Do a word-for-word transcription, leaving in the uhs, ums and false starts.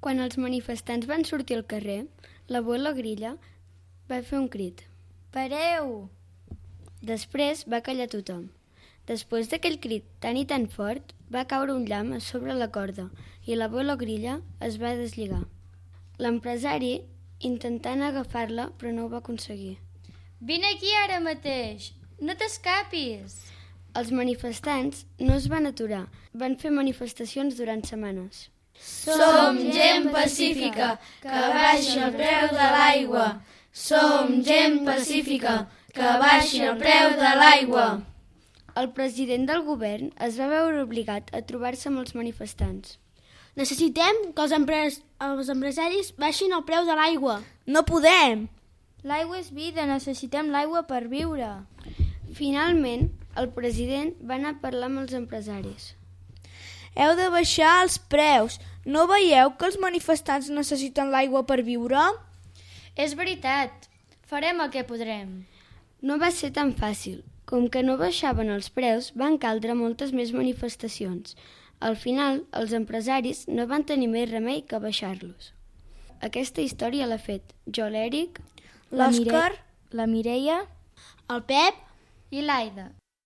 Quan els manifestants van sortir al carrer, l'abuelo Grilla va fer un crit. Pareu! Després va callar tothom. Després d'aquell crit tan i tan fort, va caure un llamp a sobre la corda i l'abuelo Grilla es va deslligar. L'empresari intentant agafar-la, però no ho va aconseguir. Vine aquí ara mateix! No t'escapis! Els manifestants no es van aturar, van fer manifestacions durant setmanes. Som gent pacífica, que baixi el preu de l'aigua. Som gent pacífica, que baixi el preu de l'aigua. El president del govern es va veure obligat a trobar-se amb els manifestants. Necessitem que els, empres els empresaris baixin el preu de l'aigua. No podem! L'aigua és vida, necessitem l'aigua per viure. Finalment, el president va anar a parlar amb els empresaris. Heu de baixar els preus. No veieu que els manifestants necessiten l'aigua per viure? És veritat. Farem el que podrem. No va ser tan fàcil. Com que no baixaven els preus, van caldre moltes més manifestacions. Al final, els empresaris no van tenir més remei que baixar-los. Aquesta història l'ha fet jo, l'Èric, l'Òscar, la Mireia, el Pep i l'Aida.